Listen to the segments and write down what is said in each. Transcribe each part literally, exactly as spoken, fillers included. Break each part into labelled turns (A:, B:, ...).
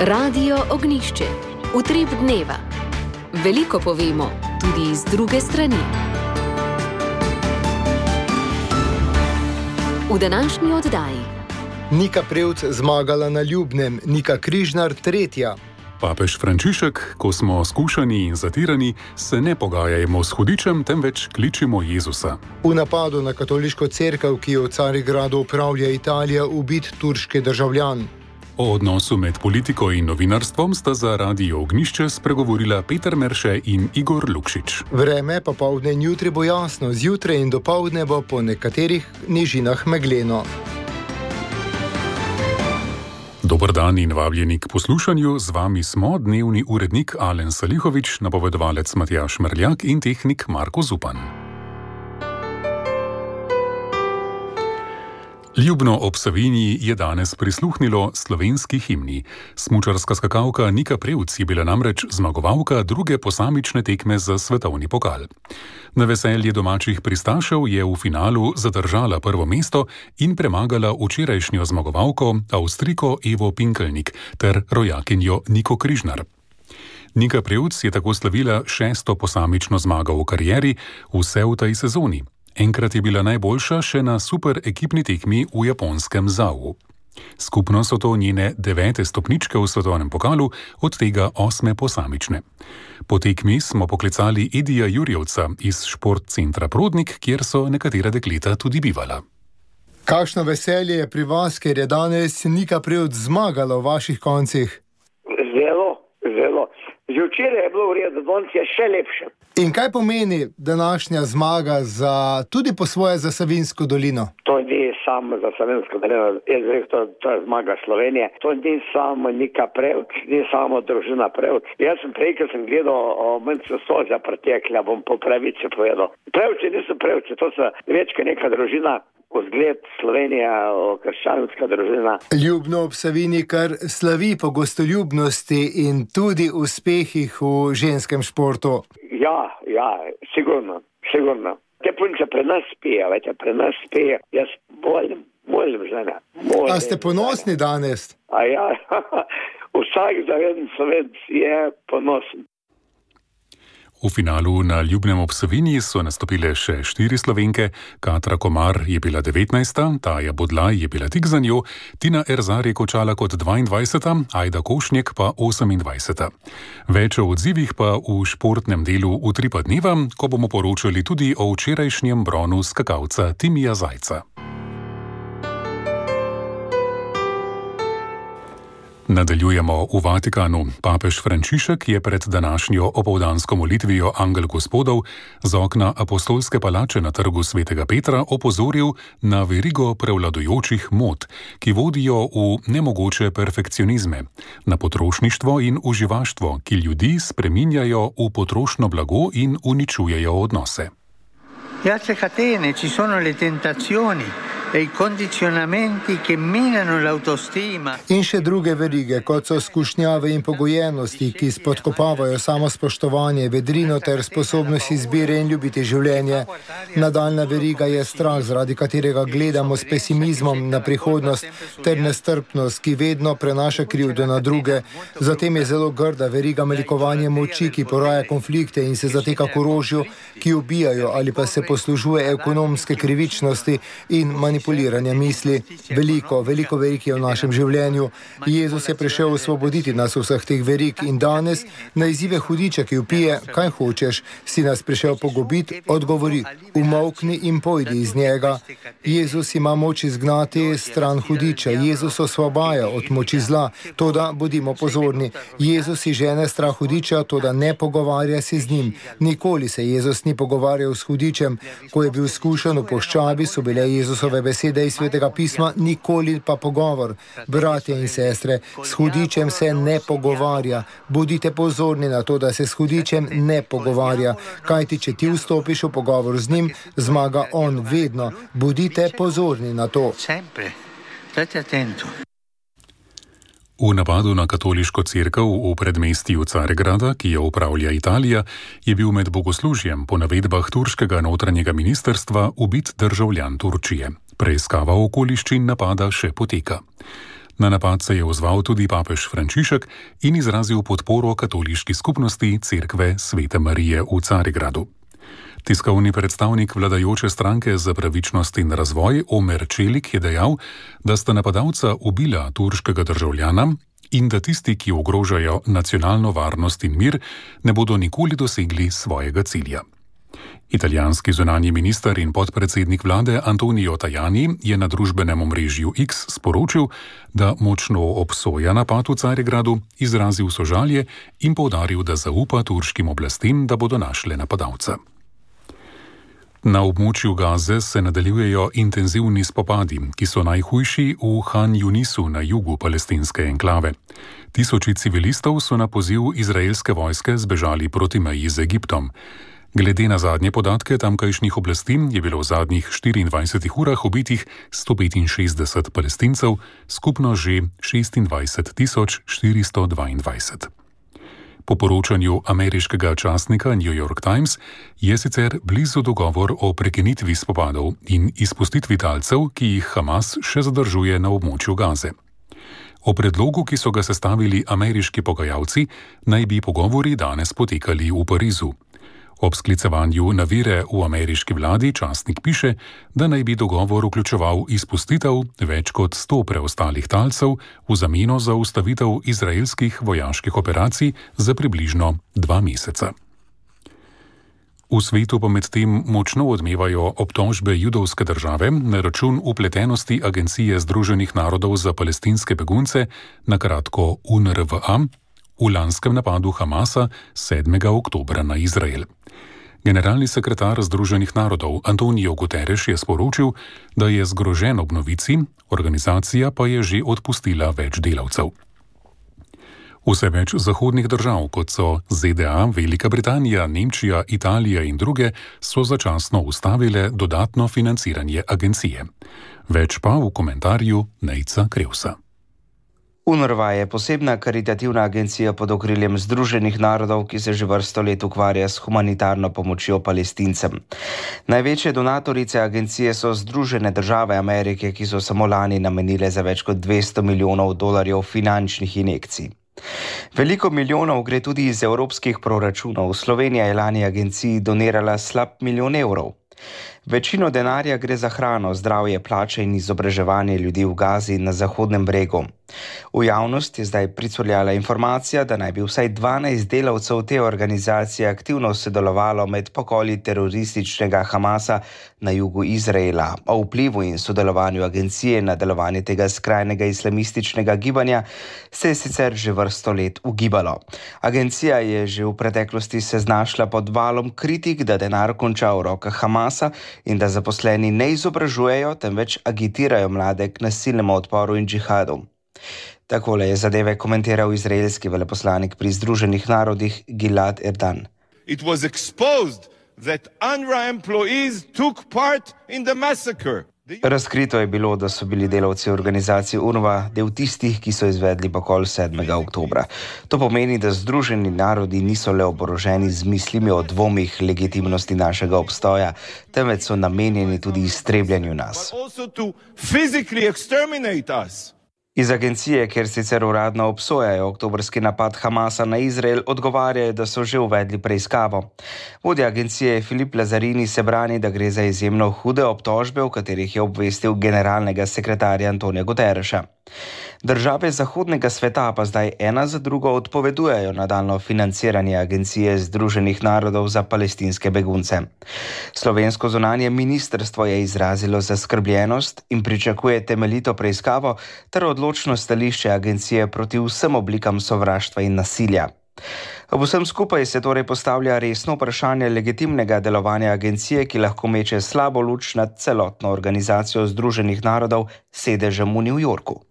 A: Radio Ognjišče. Utrip dneva. Veliko povemo, tudi iz druge strani. V današnji oddaji.
B: Nika Prevc zmagala na Ljubnem, Nika Križnar tretja.
C: Papež Frančišek, ko smo skušani in zatirani, se ne pogajajmo s hudičem, temveč kličimo Jezusa.
B: V napadu na katoliško cerkev, ki jo v Carigradu upravlja Italija, ubit turški državljan.
C: O odnosu med politiko in novinarstvom sta za Radio Ognjišče spregovorila Peter Merše in Igor Lukšič.
B: Vreme popoldne in jutri bo jasno, zjutraj in dopoldne bo po nekaterih nižinah megleno.
C: Dober dan in vabljeni k poslušanju. Z vami smo dnevni urednik Alen Salihovič, napovedovalec Matjaž Mrljak in tehnik Marko Zupan. Ljubno ob Savinji je danes prisluhnilo slovenski himni. Smučarska skakalka Nika Prevc je bila namreč zmagovalka druge posamične tekme za svetovni pokal. Na veselje domačih pristašev je v finalu zadržala prvo mesto in premagala včerajšnjo zmagovalko Avstrijko Evo Pinkelnik ter rojakinjo Niko Križnar. Nika Prevc je tako slavila šesto posamično zmago v karieri, vse v tej sezoni. Enkrat je bila najboljša še na super ekipni tekmi v japonskem Zau. Skupno so to njene devete stopničke v svetovnem pokalu, od tega osme posamične. Po tekmi smo poklicali Edija Jurjevca iz športcentra Prodnik, kjer so nekatera dekleta tudi bivala.
B: Kakšno veselje je pri vas, ker je danes Nika Prevc zmagala v vaših koncih?
D: Zelo, zelo. Že včeraj je bilo v redu, danes je še lepše.
B: In kaj pomeni današnja zmaga za, tudi po svoje za Savinjsko dolino?
D: To ni samo za Savinjsko dolino, jaz rekel, to, to je zmaga Slovenije. To ni samo Nika Prevc, ni samo družina Prevc. Jaz sem prej, ko sem gledal, meni so solze pretekle, bom po pravici povedal. Prevci niso Prevci, to so več kot neka družina. Vzgled Slovenija, krščanska družina.
B: Ljubno ob Savinji kar slavi po gostoljubnosti in tudi uspehih v ženskem športu.
D: Ja, ja, sigurno, sigurno. Te punce pri nas spijo, vete, pri nas spijo. Jaz volim, volim žena. Volim,
B: A ste ponosni danes?
D: A ja, vsak zaveden Slovenc je ponosen.
C: V finalu na Ljubnem ob Savinji so nastopile še štiri Slovenke, Katra Komar je bila devetnajsta, Taja Bodlaj je bila tik za njo, Tina Erzar je končala kot dvaindvajseta, Ajda Košnjek pa osemindvajseta. Več o odzivih pa v športnem delu Utripa dneva, ko bomo poročali tudi o včerajšnjem bronu skakalca Timija Zajca. Nadaljujemo v Vatikanu. Papež Frančišek je pred današnjo opoldansko molitvijo Angel Gospodov z okna apostolske palače na trgu svetega Petra opozoril na verigo prevladujočih mod, ki vodijo v nemogoče perfekcionizme, na potrošništvo in uživaštvo, ki ljudi spreminjajo v potrošno blago in uničujejo odnose.
E: Altre catene ci sono le tentazioni e i condizionamenti che minano l'autostima.
B: In še druge verige, kot so skušnjave in pogojenosti, ki spodkopavajo samospoštovanje, vedrino ter sposobnost izbire in ljubiti življenje. Nadaljna veriga je strah, zaradi katerega gledamo s pesimizmom na prihodnost, ter nestrpnost, ki vedno prenaša krivdo na druge. Zatem je zelo grda veriga melikovanje moči, ki poraja konflikte in se zateka k orožju, ki ubijajo ali pa se poslužuje ekonomske krivičnosti in manipuliranja misli. Veliko, veliko verig je v našem življenju. Jezus je prišel osvoboditi nas vseh teh verig in danes na izzive hudiča, ki vpije, kaj hočeš, si nas prišel pogubiti, odgovori, umolkni in pojdi iz njega. Jezus ima moč izgnati stran hudiča, Jezus osvobaja od moči zla, toda bodimo pozorni. Jezus si žene strah hudiča, toda ne pogovarja se z njim. Nikoli se Jezus ni pogovarjal s hudičem. Ko je bil skušan v puščavi, so bile Jezusove besede iz svetega pisma, nikoli pa pogovor. Bratje in sestre, s hudičem se ne pogovarja. Bodite pozorni na to, da se s hudičem ne pogovarja. Kajti, če ti vstopiš v pogovor z njim, zmaga on vedno. Bodite pozorni na to.
C: V napadu na katoliško cerkev v predmestju Carigrada, ki jo upravlja Italija, je bil med bogoslužjem po navedbah turškega notranjega ministrstva ubit državljan Turčije. Preiskava okoliščin napada še poteka. Na napad se je ozval tudi papež Frančišek in izrazil podporo katoliški skupnosti Cerkve Svete Marije v Carigradu. Tiskovni predstavnik vladajoče stranke za pravičnost in razvoj Omer Čelik je dejal, da sta napadalca ubila turškega državljana in da tisti, ki ogrožajo nacionalno varnost in mir, ne bodo nikoli dosegli svojega cilja. Italijanski zunanji minister in podpredsednik vlade Antonio Tajani je na družbenem omrežju X sporočil, da močno obsoja napad v Carigradu, izrazil sožalje in poudaril, da zaupa turškim oblastem, da bodo našle napadalca. Na območju Gaze se nadaljujejo intenzivni spopadi, ki so najhujši v Han Yunisu na jugu palestinske enklave. Tisoči civilistov so na poziv izraelske vojske zbežali proti meji z Egiptom. Glede na zadnje podatke tamkajšnjih oblasti je bilo v zadnjih štiriindvajsetih urah ubitih sto petinšestdeset Palestincev, skupno že šestindvajset tisoč štiristo dvaindvajset. Po poročanju ameriškega časnika New York Times je sicer blizu dogovor o prekinitvi spopadov in izpustitvi talcev, ki jih Hamas še zadržuje na območju Gaze. O predlogu, ki so ga sestavili ameriški pogajalci, naj bi pogovori danes potekali v Parizu. Ob sklicevanju na vire v ameriški vladi časnik piše, da naj bi dogovor vključeval izpustitev več kot sto preostalih talcev v zameno za ustavitev izraelskih vojaških operacij za približno dva meseca. V svetu pa medtem močno odmevajo obtožbe judovske države na račun vpletenosti Agencije Združenih narodov za palestinske begunce, na kratko U N R W A, v lanskem napadu Hamasa sedmega oktobra na Izrael. Generalni sekretar Združenih narodov Antonio Guterres je sporočil, da je zgrožen ob novici, organizacija pa je že odpustila več delavcev. Vse več zahodnih držav, kot so Z D A, Velika Britanija, Nemčija, Italija in druge, so začasno ustavile dodatno financiranje agencije. Več pa v komentarju Nejca Krevsa.
F: U N R W A je posebna karitativna agencija pod okriljem Združenih narodov, ki se že vrsto let ukvarja s humanitarno pomočjo Palestincem. Največje donatorice agencije so Združene države Amerike, ki so samo lani namenile za več kot dvesto milijonov dolarjev finančnih injekcij. Veliko milijonov gre tudi iz evropskih proračunov. Slovenija je lani agenciji donirala slab milijon evrov. Večino denarja gre za hrano, zdravje, plače in izobraževanje ljudi v Gazi in na Zahodnem bregu. V javnost je zdaj pricurljala informacija, da naj bi vsaj dvanajst delavcev te organizacije aktivno sodelovalo med pokoli terorističnega Hamasa na jugu Izraela. O vplivu in sodelovanju agencije na delovanje tega skrajnega islamističnega gibanja se je sicer že vrsto let ugibalo. Agencija je že v preteklosti se znašla pod valom kritik, da denar konča v rokah Hamasa in da zaposleni ne izobražujejo, temveč agitirajo mlade k nasilnemu odporu in džihadu. Takole je zadeve komentiral izraelski veleposlanik pri Združenih narodih Gilad Erdan.
G: It was exposed that U N R W A employees took part in the massacre.
F: Razkrito je bilo, da so bili delavci organizacije U N R W A del tistih, ki so izvedli pokol sedmega oktobra. To pomeni, da Združeni narodi niso le oboroženi z mislimi o dvomih legitimnosti našega obstoja, temveč so namenjeni tudi iztrebljanju nas. Iz agencije, kjer sicer uradno obsojajo oktobrski napad Hamasa na Izrael, odgovarjajo, da so že uvedli preiskavo. Vodja agencije Filip Lazarini se brani, da gre za izjemno hude obtožbe, v katerih je obvestil generalnega sekretarja Antonija Guterresa. Države zahodnega sveta pa zdaj ena za drugo odpovedujejo nadaljno financiranje Agencije Združenih narodov za palestinske begunce. Slovensko zunanje ministrstvo je izrazilo zaskrbljenost in pričakuje temeljito preiskavo ter odločno stališče agencije proti vsem oblikam sovraštva in nasilja. Ob vsem skupaj se torej postavlja resno vprašanje legitimnega delovanja agencije, ki lahko meče slabo luč nad celotno organizacijo Združenih narodov s sedežem v New Yorku.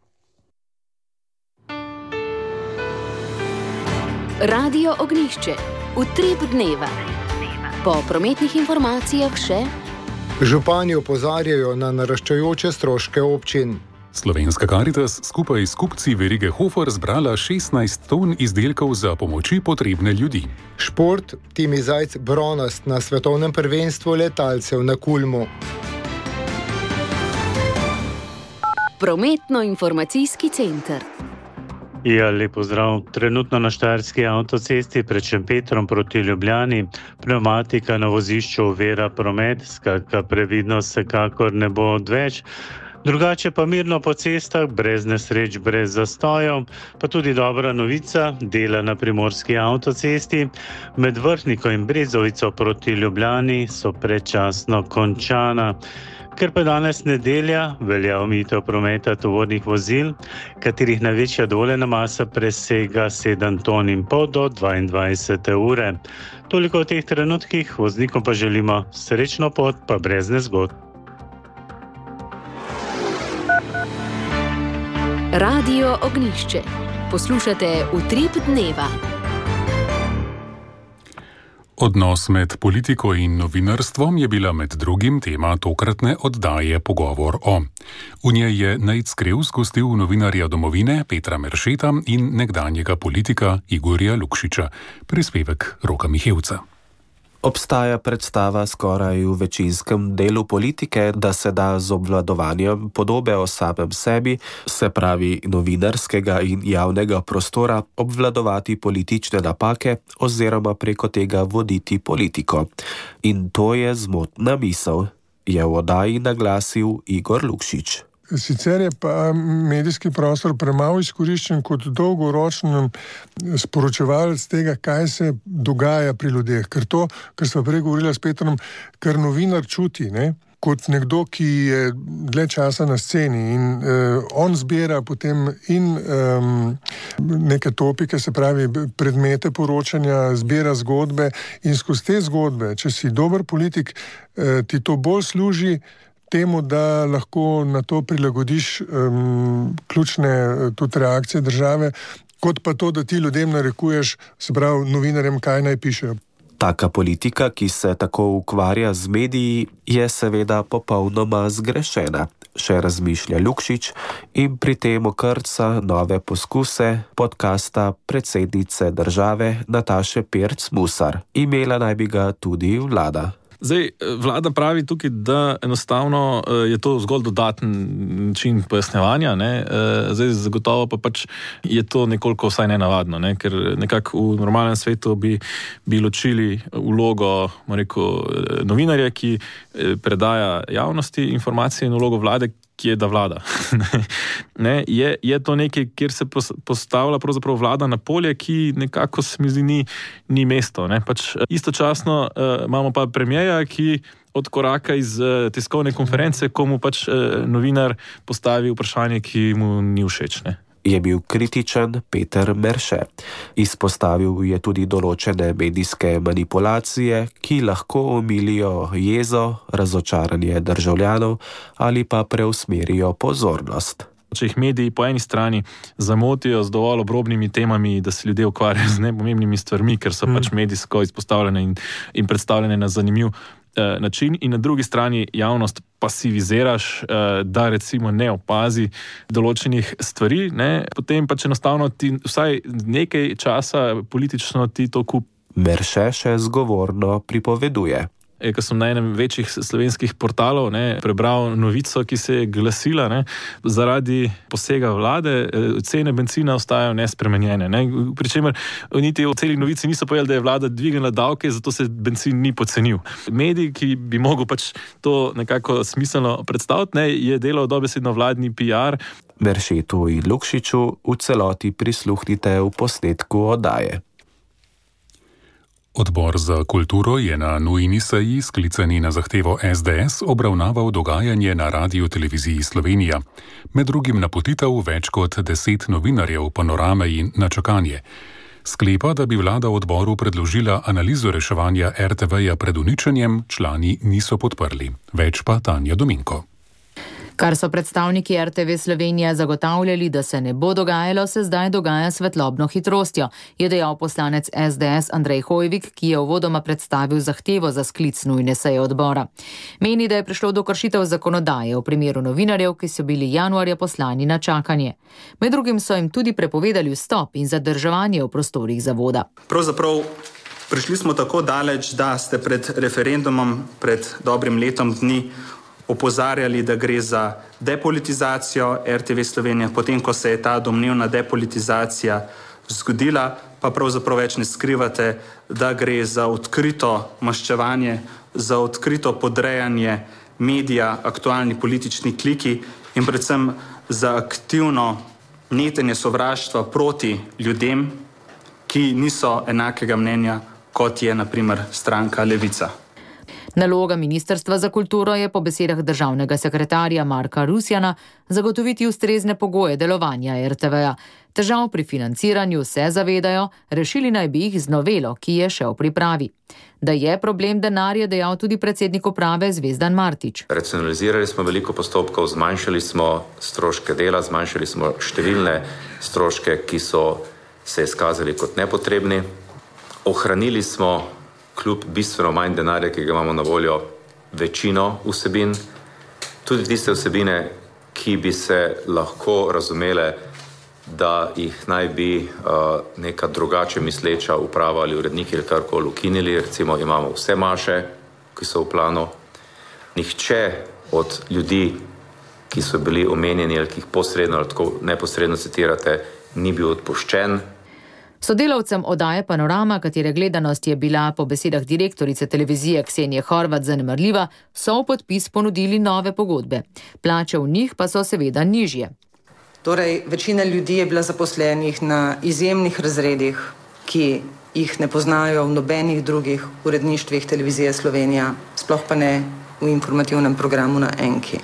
A: Radio Ognjišče, utrip dneva. Po prometnih informacijah še:
B: župani opozarjajo na naraščajoče stroške občin.
C: Slovenska Karitas skupaj s kupci verige Hofer zbrala šestnajst ton izdelkov za pomoči potrebne ljudi.
B: Šport, Timi Zajc bronast na svetovnem prvenstvu letalcev na Kulmu.
A: Prometno-informacijski center.
H: Ja, lep pozdrav. Trenutno na Štajerski avtocesti pred Šempetrom proti Ljubljani pnevmatika na vozišču ovira promet, skratka previdnost vsekakor ne bo odveč. Drugače pa mirno po cestah, brez nesreč, brez zastojev, pa tudi dobra novica, dela na primorski avtocesti med Vrhniko in Brezovico proti Ljubljani so predčasno končana. Ker pa danes nedelja, velja omejitev prometa tovornih vozil, katerih največja dovoljena masa presega sedem ton in pol do dvaindvajsete ure. Toliko v teh trenutkih, voznikom pa želimo srečno pot, pa brez nezgod.
A: Radio Ognjišče. Poslušate Utrip dneva.
C: Odnos med politiko in novinarstvom je bila med drugim tema tokratne oddaje Pogovor o. V njej je Nejc Krevs gostil novinarja Domovine Petra Meršeta in nekdanjega politika Igorja Lukšiča. Prispevek Roka Mihevca.
I: Obstaja predstava skoraj v večinskem delu politike, da se da z obvladovanjem podobe o samem sebi, se pravi novinarskega in javnega prostora, obvladovati politične napake oziroma preko tega voditi politiko. In to je zmotna misel, je v oddaji naglasil Igor Lukšič.
J: Sicer je pa medijski prostor premalo izkoriščen kot dolgoročen sporočevalec tega, kaj se dogaja pri ljudeh. Ker to, kar sva prej govorila s Petrom, kar novinar čuti, ne? Kot nekdo, ki je dlje časa na sceni in uh, on zbira potem in um, neke topike, se pravi predmete poročanja, zbira zgodbe in skozi te zgodbe, če si dober politik, uh, ti to bolj služi temu, da lahko na to prilagodiš um, ključne tudi reakcije države, kot pa to, da ti ljudem narekuješ, se pravi novinarjem, kaj naj pišejo.
I: Taka politika, ki se tako ukvarja z mediji, je seveda popolnoma zgrešena, še razmišlja Lukšič in pri tem okrca nove poskuse podcasta predsednice države Nataše Pirc Musar. Imela naj bi ga tudi vlada.
K: Zdaj, vlada pravi tukaj, da enostavno je to zgolj dodaten način pojasnjevanja, ne? Zdaj, zagotovo pa pač je to nekoliko vsaj nenavadno, ne? Ker nekako v normalnem svetu bi, bi ločili vlogo, rekel, novinarja, ki predaja javnosti informacije in vlogo vlade, ki je da vlada. ne, je, je to nekaj, kjer se postavlja pravzaprav vlada na polje, ki nekako se mi zdi ni, ni mesto. Ne? Pač istočasno uh, imamo pa premierja, ki od koraka iz uh, tiskovne konference, komu pač uh, novinar postavi vprašanje, ki mu ni všeč. Ne?
I: Je bil kritičen Peter Merše. Izpostavil je tudi določene medijske manipulacije, ki lahko omilijo jezo, razočaranje državljanov ali pa preusmerijo pozornost.
K: Če jih mediji po eni strani zamotijo z dovolj obrobnimi temami, da se ljudje ukvarjajo z nepomembnimi stvarmi, ker so mm. pač medijsko izpostavljene in, in predstavljene na zanimiv eh, način, in na drugi strani javnost pasiviziraš, eh, da recimo ne opazi določenih stvari, ne, potem pač enostavno ti vsaj nekaj časa politično ti to kup.
I: Merše še zgovorno pripoveduje.
K: Ko sem na enem večjih slovenskih portalov ne, prebral novico, ki se je glasila, ne, zaradi posega vlade cene bencina ostajajo nespremenjene. Ne. Pričemer niti v celi novici niso povedali, da je vlada dvignila davke, zato se bencin ni pocenil. Medij, ki bi mogel pač to nekako smiselno predstaviti, ne, je delal dobesedno vladni P R.
I: Meršetu in Lukšiču v celoti prisluhnite v posnetku oddaje.
C: Odbor za kulturo je na nujni seji, sklicani na zahtevo S D S, obravnaval dogajanje na Radioteleviziji Slovenija. Med drugim napotitev več kot deset novinarjev Panorame in Na čakanje. Sklepa, da bi vlada odboru predložila analizo reševanja R T V-ja pred uničenjem, člani niso podprli. Več pa Tanja Dominko.
L: Kar so predstavniki R T V Slovenija zagotavljali, da se ne bo dogajalo, se zdaj dogaja svetlobno hitrostjo, je dejal poslanec S D S Andrej Hojvik, ki je uvodoma predstavil zahtevo za sklic nujne seje odbora. Meni, da je prišlo do kršitev zakonodaje v primeru novinarjev, ki so bili januarja poslani na čakanje. Med drugim so jim tudi prepovedali vstop in zadrževanje v prostorih zavoda.
M: Pravzaprav prišli smo tako daleč, da ste pred referendumom, pred dobrim letom dni, opozarjali, da gre za depolitizacijo R T V Slovenija, potem, ko se je ta domnevna depolitizacija zgodila, pa pravzaprav več ne skrivate, da gre za odkrito maščevanje, za odkrito podrejanje medija, aktualni politični kliki in predvsem za aktivno netenje sovraštva proti ljudem, ki niso enakega mnenja, kot je na primer stranka Levica.
L: Naloga Ministrstva za kulturo je po besedah državnega sekretarja Marka Rusjana zagotoviti ustrezne pogoje delovanja R T V-ja. Težav pri financiranju se zavedajo, rešili naj bi jih z novelo, ki je še v pripravi. Da je problem denar, je dejal tudi predsednik uprave Zvezdan Martič.
N: Racionalizirali smo veliko postopkov, zmanjšali smo stroške dela, zmanjšali smo številne stroške, ki so se izkazali kot nepotrebni. Ohranili smo kljub bistveno manj denarja, ki ga imamo na voljo, večino vsebin, tudi tiste vsebine, ki bi se lahko razumele, da jih naj bi uh, neka drugače misleča uprava ali uredniki ali karkoli ukinili. Recimo imamo vse maše, ki so v planu. Nihče od ljudi, ki so bili omenjeni ali ki jih posredno ali tako neposredno citirate, ni bil odpuščen.
L: Sodelavcem oddaje Panorama, katere gledanost je bila po besedah direktorice televizije Ksenije Horvat zanemarljiva, so v podpis ponudili nove pogodbe. Plače v njih pa so seveda nižje.
O: Torej, večina ljudi je bila zaposlenih na izjemnih razredih, ki jih ne poznajo v nobenih drugih uredništvih televizije Slovenija, sploh pa ne v informativnem programu na Enki.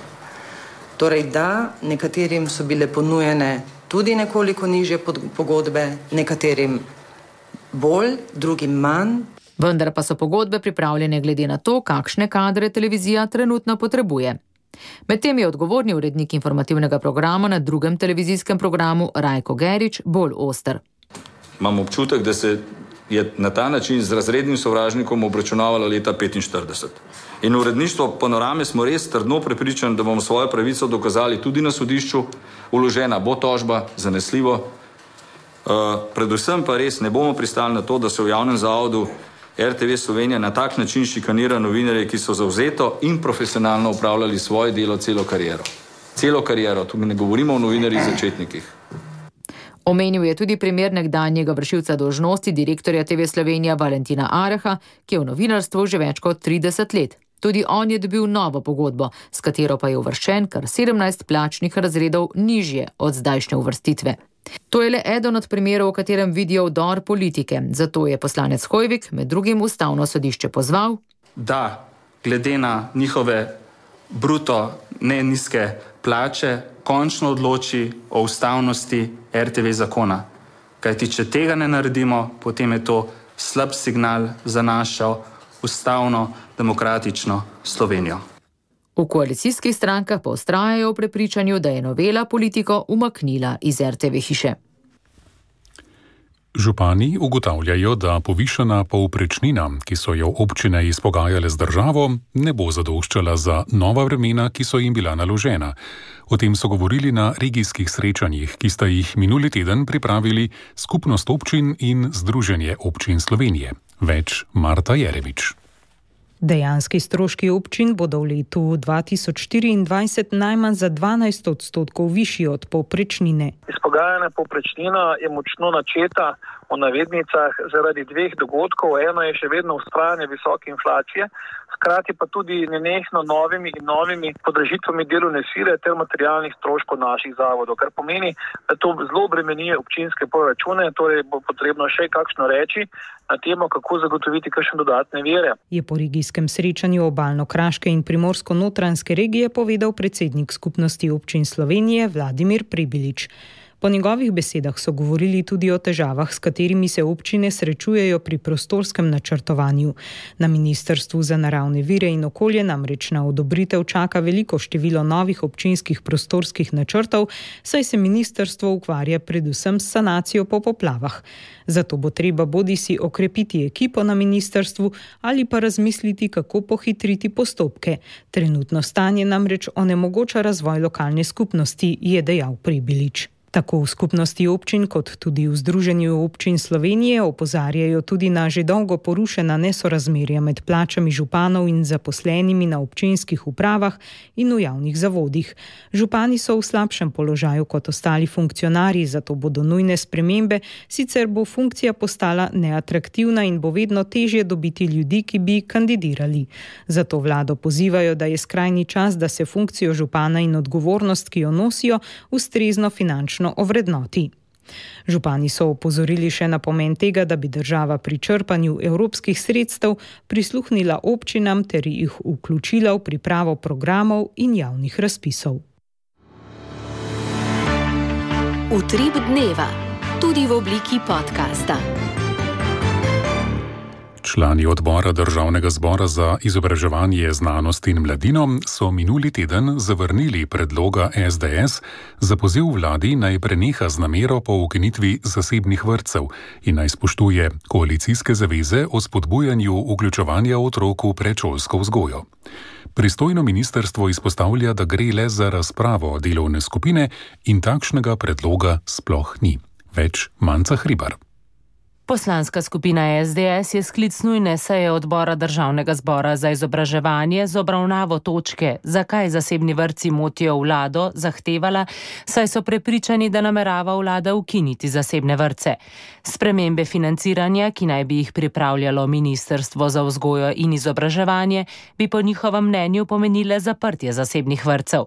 O: Torej, da, nekaterim so bile ponujene tudi nekoliko nižje pogodbe, nekaterim bolj, drugim manj.
L: Vendar pa so pogodbe pripravljene glede na to, kakšne kadre televizija trenutno potrebuje. Medtem je odgovorni urednik informativnega programa na drugem televizijskem programu Rajko Gerič bolj oster.
P: Imam občutek, da se je na ta način z razrednim sovražnikom obračunavalo leta petinštirideset. In v uredništvo Panorame smo res trdno prepričani, da bomo svojo pravico dokazali tudi na sodišču. Vložena bo tožba, zanesljivo. Uh, predvsem pa res ne bomo pristali na to, da se v javnem zavodu R T V Slovenija na tak način šikanira novinarje, ki so zavzeto in profesionalno upravljali svoje delo celo kariero. Celo kariero, tu mi ne govorimo o novinarjih začetnikih.
L: Omenil je tudi primer nekdanjega vršilca dolžnosti direktorja T V Slovenija Valentina Areha, ki je v novinarstvu že več kot trideset let. Tudi on je dobil novo pogodbo, s katero pa je uvrščen kar sedemnajst plačnih razredov nižje od zdajšnje uvrstitve. To je le eden od primerov, v katerem vidijo vdor politike. Zato je poslanec Hoivik med drugim ustavno sodišče pozval,
M: da glede na njihove bruto ne nizke plače končno odloči o ustavnosti R T V zakona. Kajti, če tega ne naredimo, potem je to slab signal za našo ustavno demokratično Slovenijo.
L: V koalicijskih strankah pa vztrajajo v prepričanju, da je novela politiko umaknila iz R T V hiše.
C: Župani ugotavljajo, da povišana povprečnina, ki so jo občine izpogajale z državo, ne bo zadoščala za nova vremena, ki so jim bila naložena. O tem so govorili na regijskih srečanjih, ki sta jih minuli teden pripravili Skupnost občin in Združenje občin Slovenije. Več Marta Jerevič.
Q: Dejanski stroški občin bodo v letu dva tisoč štiriindvajset najmanj za dvanajst odstotkov višji od povprečnine.
R: Izpogajana povprečnina je močno načeta v navednicah zaradi dveh dogodkov. Eno je še vedno vztrajanje visoke inflacije, hkrati pa tudi nenehno novimi in novimi podražitvami delovne sile ter materialnih stroškov naših zavodov, kar pomeni, da to zelo bremenije občinske proračune, torej bo potrebno še kakšno reči na temo, kako zagotoviti kakšne dodatne vire.
Q: Je po regijskem srečanju Obalno-kraške in Primorsko-notranjske regije povedal predsednik Skupnosti občin Slovenije Vladimir Prebilič. Po njegovih besedah so govorili tudi o težavah, s katerimi se občine srečujejo pri prostorskem načrtovanju. Na Ministrstvu za naravne vire in okolje namreč na odobritev čaka veliko število novih občinskih prostorskih načrtov, saj se ministrstvo ukvarja predvsem s sanacijo po poplavah. Zato bo treba bodisi okrepiti ekipo na ministrstvu ali pa razmisliti, kako pohitriti postopke. Trenutno stanje namreč onemogoča razvoj lokalne skupnosti, je dejal Prebilič. Tako v skupnosti občin kot tudi v Združenju občin Slovenije opozarjajo tudi na že dolgo porušena nesorazmerja med plačami županov in zaposlenimi na občinskih upravah in v javnih zavodih. Župani so v slabšem položaju kot ostali funkcionarji, zato bodo nujne spremembe, sicer bo funkcija postala neatraktivna in bo vedno težje dobiti ljudi, ki bi kandidirali. Zato vlado pozivajo, da je skrajni čas, da se funkcijo župana in odgovornost, ki jo nosijo, ustrezno finančno ovrednoti. Župani so opozorili še na pomen tega, da bi država pri črpanju evropskih sredstev prisluhnila občinam ter jih vključila v pripravo programov in javnih razpisov.
A: Utrip dneva, tudi v obliki podcasta.
C: Člani odbora Državnega zbora za izobraževanje, znanost in mladino so minuli teden zavrnili predloga es de es za poziv vladi naj preneha z namero po ukinitvi zasebnih vrtcev in naj spoštuje koalicijske zaveze o spodbujanju vključevanja otrok v predšolsko vzgojo. Pristojno ministrstvo izpostavlja, da gre le za razpravo delovne skupine in takšnega predloga sploh ni. Več Manca Hribar.
S: Poslanska skupina es de es je sklic nujne seje odbora Državnega zbora za izobraževanje z obravnavo točke, zakaj zasebni vrtci motijo vlado, zahtevala, saj so prepričani, da namerava vlada ukiniti zasebne vrtce. Spremembe financiranja, ki naj bi jih pripravljalo Ministrstvo za vzgojo in izobraževanje, bi po njihovem mnenju pomenile zaprtje zasebnih vrtcev.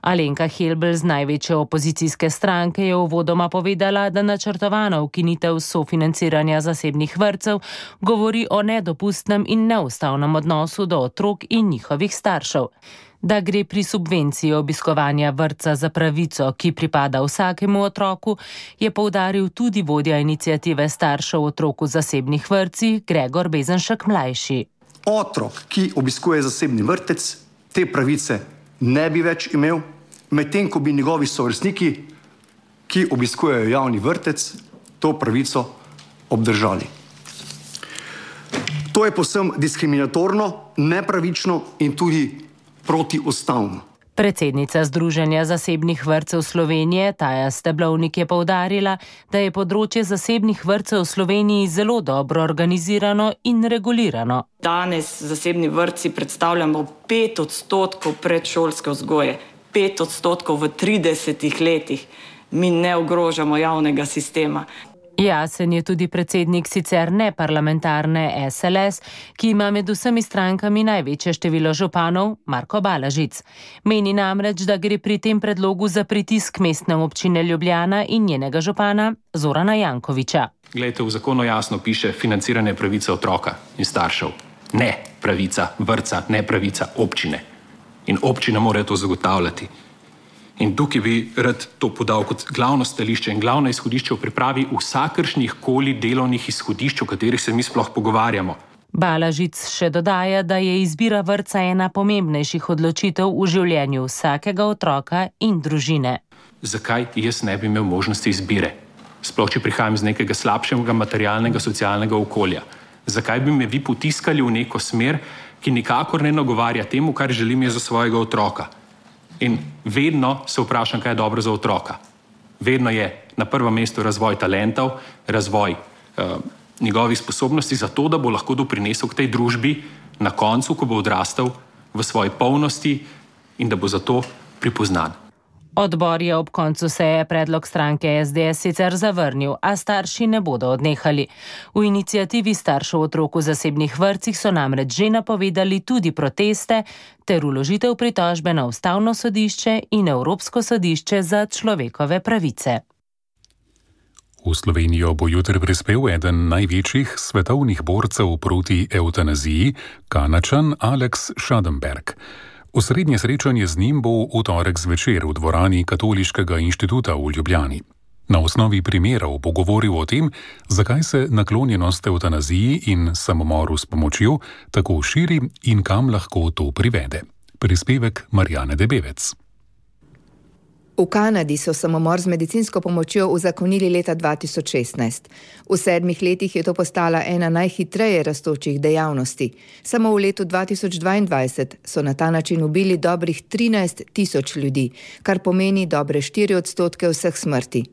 S: Alenka Helbl z največje opozicijske stranke je uvodoma povedala, da načrtovana ukinitev sofinanciranja zasebnih vrtcev govori o nedopustnem in neustavnem odnosu do otrok in njihovih staršev. Da gre pri subvenciji obiskovanja vrtca za pravico, ki pripada vsakemu otroku, je poudaril tudi vodja iniciative staršev otrok v zasebnih vrtcih Gregor Bezenšek mlajši.
T: Otrok, ki obiskuje zasebni vrtec, te pravice ne bi več imel, medtem ko bi njegovi sovrstniki, ki obiskujejo javni vrtec, to pravico obdržali. To je povsem diskriminatorno, nepravično in tudi protiustavno.
S: Predsednica Združenja zasebnih vrtcev Slovenije Taja Steblovnik je poudarila, da je področje zasebnih vrtcev v Sloveniji zelo dobro organizirano in regulirano.
U: Danes zasebni vrtci predstavljamo pet odstotkov predšolske vzgoje, pet odstotkov v tridesetih letih. Mi ne ogrožamo javnega sistema.
S: Jasen je tudi predsednik sicer neparlamentarne es el es, ki ima med vsemi strankami največje število županov, Marko Balažic. Meni namreč, da gre pri tem predlogu za pritisk Mestne občine Ljubljana in njenega župana Zorana Jankovića.
V: Glejte, v zakonu jasno piše financiranje pravice otroka in staršev. Ne pravica vrtca, ne pravica občine. In občina mora to zagotavljati. In tukaj bi rad to podal kot glavno stališče in glavno izhodišče v pripravi vsakršnih koli delovnih izhodišč, o katerih se mi sploh pogovarjamo.
S: Balažic še dodaja, da je izbira vrtca ena pomembnejših odločitev v življenju vsakega otroka in družine.
V: Zakaj jaz ne bi imel možnosti izbire? Sploh, če prihajam z nekega slabšega materialnega, socialnega okolja. Zakaj bi me vi potiskali v neko smer, ki nikakor ne nagovarja temu, kar želim jaz za svojega otroka? In vedno se vprašam, kaj je dobro za otroka. Vedno je na prvem mestu razvoj talentov, razvoj uh, njegovih sposobnosti za to, da bo lahko doprinesel k tej družbi na koncu, ko bo odrastel v svoji polnosti in da bo zato pripoznan.
S: Odbor je ob koncu seje predlog stranke es de es sicer zavrnil, a starši ne bodo odnehali. V iniciativi staršev otrok v zasebnih vrtcih so namreč že napovedali tudi proteste ter vložitev pritožbe na Ustavno sodišče in Evropsko sodišče za človekove pravice.
C: V Slovenijo bo jutri prispel eden največjih svetovnih borcev proti evtanaziji, Kanačan Alex Schadenberg. Osrednje srečanje z njim bo v torek zvečer v dvorani Katoliškega inštituta v Ljubljani. Na osnovi primerov bo govoril o tem, zakaj se naklonjenost evtanaziji in samomoru s pomočjo tako širi in kam lahko to privede. Prispevek Marjane Debevec.
D: V Kanadi so samomor z medicinsko pomočjo uzakonili leta dva tisoč šestnajst. V sedmih letih je to postala ena najhitreje rastočih dejavnosti. Samo v letu dva tisoč dvaindvajset so na ta način ubili dobrih trinajst tisoč ljudi, kar pomeni dobre štiri odstotke vseh smrti.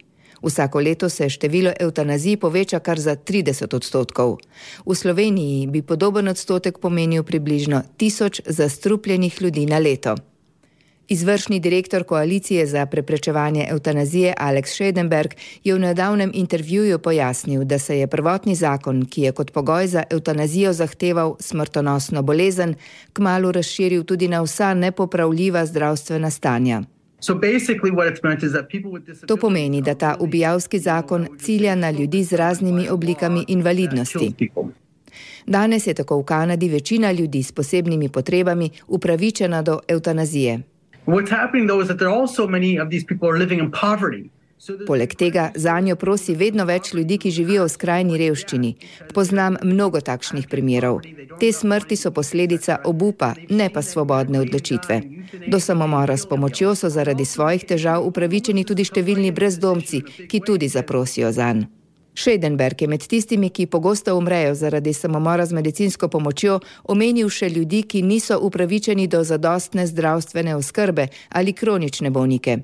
D: Vsako leto se število evtanazij poveča kar za trideset odstotkov. V Sloveniji bi podoben odstotek pomenil približno tisoč zastrupljenih ljudi na leto. Izvršni direktor Koalicije za preprečevanje evtanazije Alex Schadenberg je v nedavnem intervjuju pojasnil, da se je prvotni zakon, ki je kot pogoj za evtanazijo zahteval smrtonosno bolezen, kmalu razširil tudi na vsa nepopravljiva zdravstvena stanja. To pomeni, da ta ubijalski zakon cilja na ljudi z raznimi oblikami invalidnosti. Danes je tako v Kanadi večina ljudi s posebnimi potrebami upravičena do evtanazije. Poleg tega zanjo prosi vedno več ljudi, ki živijo v skrajni revščini. Poznam mnogo takšnih primerov. Te smrti so posledica obupa, ne pa svobodne odločitve. Do samomora s pomočjo so zaradi svojih težav upravičeni tudi številni brezdomci, ki tudi zaprosijo zanj. Schadenberg je med tistimi, ki pogosto umrejo zaradi samomora z medicinsko pomočjo, omenil še ljudi, ki niso upravičeni do zadostne zdravstvene oskrbe ali kronične bolnike.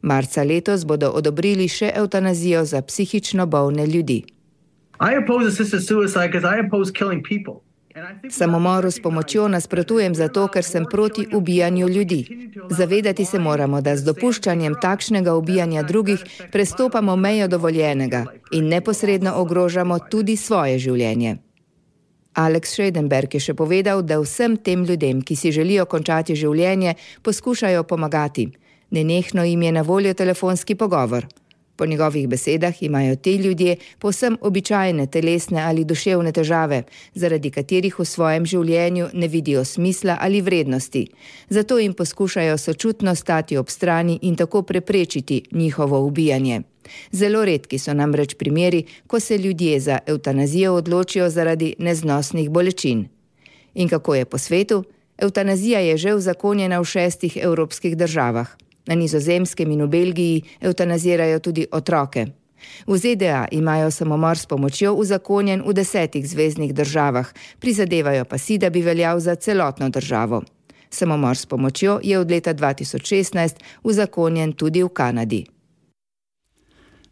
D: Marca letos bodo odobrili še evtanazijo za psihično bolne ljudi. Samomoru s pomočjo nasprotujem zato, ker sem proti ubijanju ljudi. Zavedati se moramo, da z dopuščanjem takšnega ubijanja drugih prestopamo mejo dovoljenega in neposredno ogrožamo tudi svoje življenje. Alex Schadenberg je še povedal, da vsem tem ljudem, ki si želijo končati življenje, poskušajo pomagati. Nenehno jim je na voljo telefonski pogovor. Po njegovih besedah imajo ti ljudje povsem običajne telesne ali duševne težave, zaradi katerih v svojem življenju ne vidijo smisla ali vrednosti. Zato jim poskušajo sočutno stati ob strani in tako preprečiti njihovo ubijanje. Zelo redki so namreč primeri, ko se ljudje za evtanazijo odločijo zaradi neznosnih bolečin. In kako je po svetu? Evtanazija je že uzakonjena v šestih evropskih državah. Na Nizozemskem in v Belgiji evtanazirajo tudi otroke. V Z D A imajo samomor s pomočjo uzakonjen v desetih zveznih državah, prizadevajo pa si, da bi veljal za celotno državo. Samomor s pomočjo je od leta dva tisoč šestnajst uzakonjen tudi v Kanadi.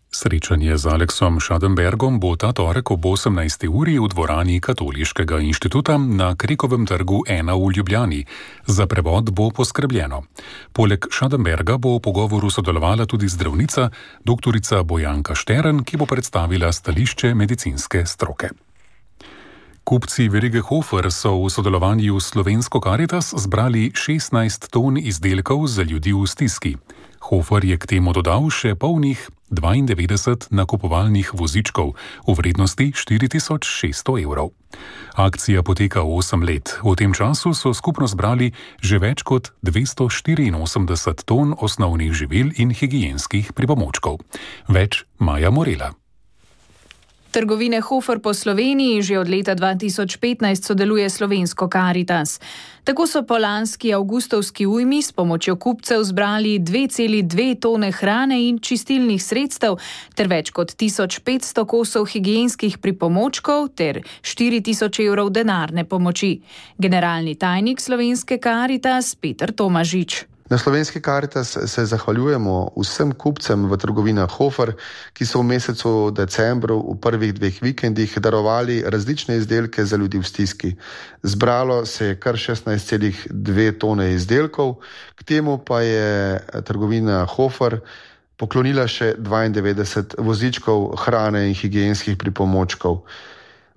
C: Srečanje z Alexom Schadenbergom bo ta torek ob osemnajsti uri v dvorani Katoliškega inštituta na Krekovem trgu ena v Ljubljani. Za prevod bo poskrbljeno. Poleg Schadenberga bo v pogovoru sodelovala tudi zdravnica, doktorica Bojanka Štern, ki bo predstavila stališče medicinske stroke. Kupci verige Hofer so v sodelovanju s Slovensko Karitas zbrali šestnajst ton izdelkov za ljudi v stiski. Hofer je k temu dodal še polnih dvaindevetdeset nakupovalnih vozičkov v vrednosti štiri tisoč šeststo evrov. Akcija poteka osem let. V tem času so skupno zbrali že več kot dvesto štiriinosemdeset ton osnovnih živil in higienskih pripomočkov. Več Maja Morela.
E: Trgovine Hofer po Sloveniji že od leta dva tisoč petnajst sodeluje Slovensko Karitas. Tako so po lanski avgustovski ujmi s pomočjo kupcev zbrali dve celi dve tone hrane in čistilnih sredstev ter več kot tisoč petsto kosov higienskih pripomočkov ter štiri tisoč evrov denarne pomoči. Generalni tajnik Slovenske Karitas Peter Tomažič.
W: Na Slovenski Karitas se zahvaljujemo vsem kupcem v trgovinah Hofer, ki so v mesecu decembru v prvih dveh vikendih darovali različne izdelke za ljudi v stiski. Zbralo se je kar šestnajst celih dve tone izdelkov, k temu pa je trgovina Hofer poklonila še dvaindevetdeset vozičkov hrane in higienskih pripomočkov.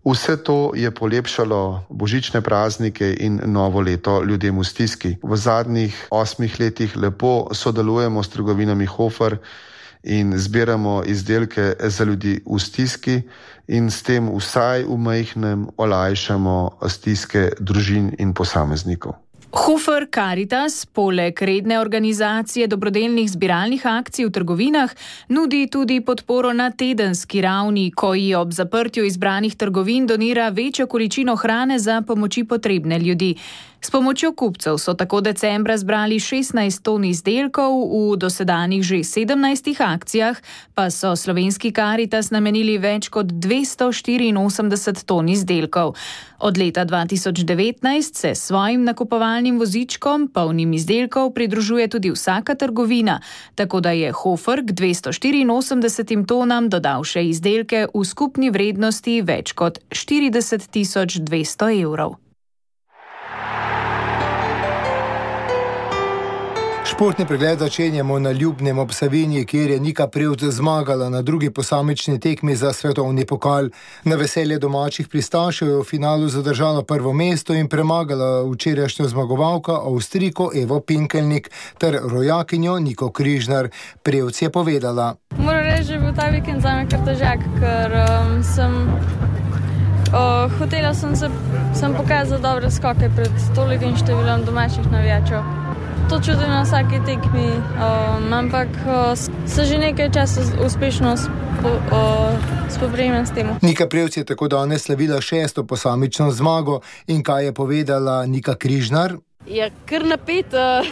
W: Vse to je polepšalo božične praznike in novo leto ljudem v stiski. V zadnjih osmih letih lepo sodelujemo s trgovinami Hofer in zbiramo izdelke za ljudi v stiski in s tem vsaj v majhnem olajšamo stiske družin in posameznikov.
E: Hofer Karitas poleg redne organizacije dobrodelnih zbiralnih akcij v trgovinah nudi tudi podporo na tedenski ravni, ko ji ob zaprtju izbranih trgovin donira večjo količino hrane za pomoči potrebne ljudi. S pomočjo kupcev so tako decembra zbrali šestnajst ton izdelkov, v dosedanjih že sedemnajstih akcijah pa so Slovenski Karitas namenili več kot dvesto štiriinosemdeset ton izdelkov. Od leta dva tisoč devetnajst se svojim nakupovalnim vozičkom, polnim izdelkov, pridružuje tudi vsaka trgovina, tako da je Hofer k dvesto štiriinosemdesetim tonam dodal še izdelke v skupni vrednosti več kot štirideset tisoč dvesto evrov.
B: Športni pregled začenjamo na Ljubnem ob Savinji, kjer je Nika Prevc zmagala na drugi posamični tekmi za svetovni pokal. Na veselje domačih pristašev je v finalu zadržala prvo mesto in premagala včerajšnjo zmagovalko Avstrijko Evo Pinkelnik ter rojakinjo Niko Križnar. Prevc je povedala:
F: Moram reči, da je bil ta vikend zame kar težak, ker um, sem uh, hotela sem se sem pokazati dobre skoke pred tolikim številom domačih navijačev. To čutim na vsaki tekmi, um, ampak uh, se že nekaj časa uspešno spo, uh, spoprijemam s tem.
B: Nika Prevc je tako danes slavila šesto posamično zmago in kaj je povedala Nika Križnar?
G: Ja, kar napet. Uh,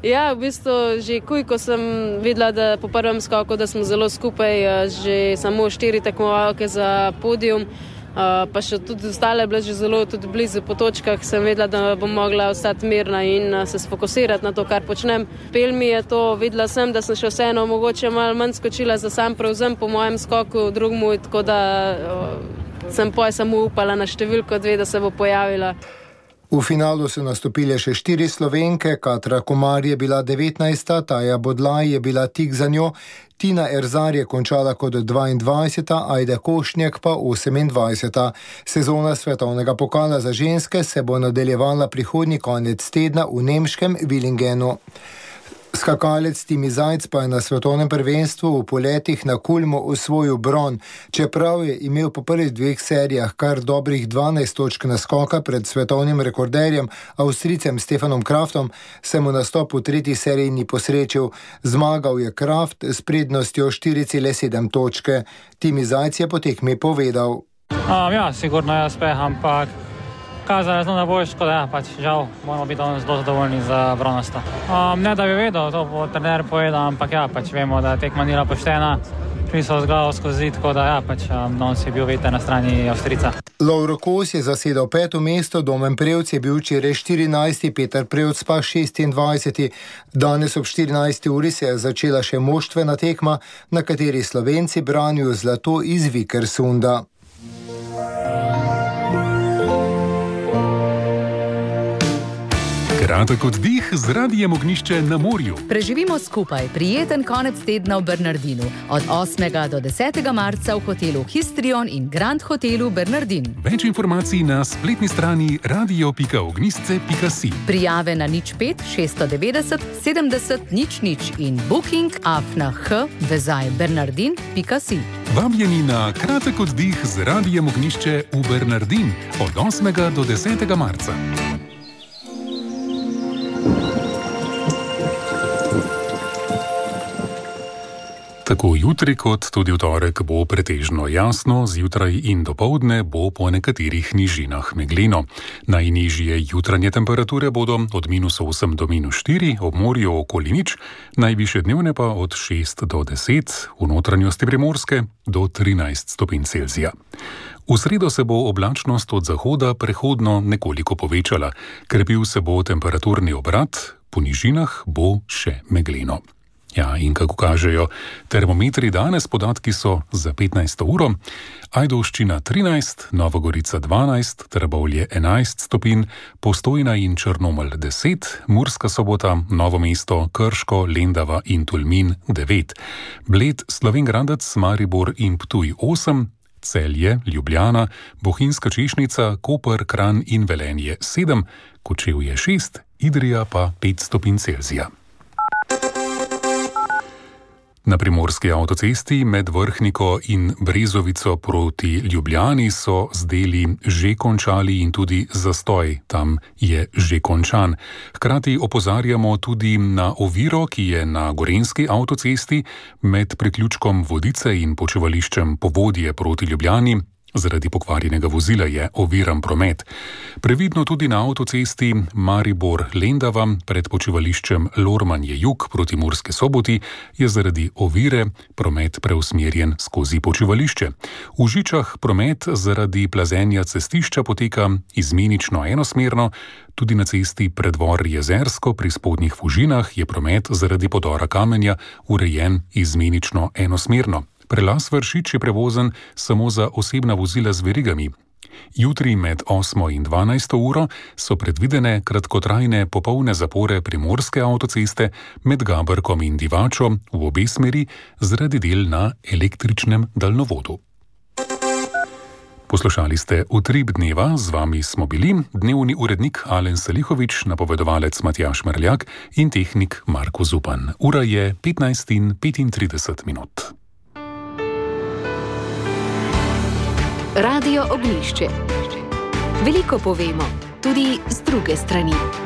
G: ja, v bistvu že kuj, ko sem videla, da po prvem skoku, da smo zelo skupaj, uh, že samo štiri tekmovalke za podium. Uh, pa še tudi ostale bile že zelo tudi blizu po točkah, sem vedela, da bom mogla ostati mirna in uh, se sfokusirati na to, kar počnem. Pel mi je to, videla sem, da sem še vseeno mogoče malo manj skočila za sam prevzem po mojem skoku drugmu, tako da uh, sem poj samo upala na številko dve, da se bo pojavila.
B: V finalu so nastopile še štiri Slovenke, Katra Komar je bila devetnajsta, Taja Bodlaj je bila tik za njo, Tina Erzar je končala kot dvaindvajseta, Ajda Košnjak pa osemindvajseta. Sezona svetovnega pokala za ženske se bo nadaljevala prihodnji konec tedna v nemškem Villingenu. Skakalec Timi Zajc pa je na svetovnem prvenstvu v poletih na Kulmu osvojil bron. Čeprav je imel po prvih dveh serijah kar dobrih dvanajst točk naskoka pred svetovnim rekorderjem Avstrijcem Stefanom Kraftom, se mu nastop v tretji seriji ni posrečil. Zmagal je Kraft s prednostjo štiri cele sedem točke. Timi Zajc je po tekmi povedal:
X: Um, ja, sigurno je uspeh, ampak kazali smo na boljško, da ja, pač žal moramo biti zelo zadovoljni za bronasto. Um, ne da bi vedel, to bo trener povedal, ampak ja, pač vemo, da tekma ni bila poštena, šli so z glavo skozi zid, tako da ja, pač um, danes je bil veter na strani Avstrijca.
B: Lovro Kos je zasedal peto mesto, Domen Prevc je bil včeraj štirinajsti, Peter Prevc pa šestindvajseti. Danes ob štirinajsti uri se je začela še moštvena tekma, na kateri Slovenci branijo zlato iz Vikersunda.
C: Kratek oddih z Radijem Ognjišče na morju.
Y: Preživimo skupaj prijeten konec tedna v Bernardinu. Od osmega do desetega marca v hotelu Histrion in Grand hotelu Bernardin.
C: Več informacij na spletni strani radio pika ognjišče pika si.
Y: Prijave na nič pet šeststo devetdeset sedemdeset nič nič in booking afna h vezaj bernardin pika si.
C: Vabljeni na kratek oddih z Radijem Ognjišče v Bernardin od osmega do desetega marca. Tako jutri kot tudi v torek bo pretežno jasno, zjutraj in dopoldne bo po nekaterih nižinah megleno. Najnižje jutranje temperature bodo od minus osem do minus štiri, ob morju okoli nič, najvišje dnevne pa od šest do deset, v notranjosti Primorske do trinajst stopinj Celzija. V sredo se bo oblačnost od zahoda prehodno nekoliko povečala, krepil se bo temperaturni obrat, po nižinah bo še megleno. Ja, in kako kažejo termometri danes, podatki so za petnajsto uro, Ajdovščina trinajst, Nova Gorica dvanajst, Trbovlje enajst stopinj, Postojna in Črnomelj deset, Murska Sobota, Novo mesto, Krško, Lendava in Tolmin devet, Bled, Slovenj Gradec, Maribor in Ptuj osem, Celje, Ljubljana, Bohinjska Češnica, Koper, Kranj in Velenje sedem, Kočevje šest, Idrija pa pet stopinj Celzija. Na primorski avtocesti med Vrhniko in Brezovico proti Ljubljani so z deli že končali in tudi zastoj tam je že končan. Hkrati opozarjamo tudi na oviro, ki je na gorenjski avtocesti med priključkom Vodice in počivališčem Povodje proti Ljubljani. Zaradi pokvarjenega vozila je oviran promet. Previdno tudi na avtocesti Maribor-Lendava pred počivališčem Lormanje-Jug proti Murski Soboti je zaradi ovire promet preusmerjen skozi počivališče. V Žičah promet zaradi plazenja cestišča poteka izmenično enosmerno, tudi na cesti Predvor-Jezersko pri Spodnjih Fužinah je promet zaradi podora kamenja urejen izmenično enosmerno. Prelaz Vršič je prevozen samo za osebna vozila z verigami. Jutri med osmo in dvanajsto uro so predvidene kratkotrajne popolne zapore primorske avtoceste med Gabrkom in Divačo v obe smeri zaradi del na električnem daljnovodu. Poslušali ste Utrip dneva, z vami smo bili dnevni urednik Alen Salihovič, napovedovalec Matjaž Merljak in tehnik Marko Zupan. Ura je petnajst in petintrideset minut.
A: Radio Ognjišče. Veliko povemo, tudi z druge strani.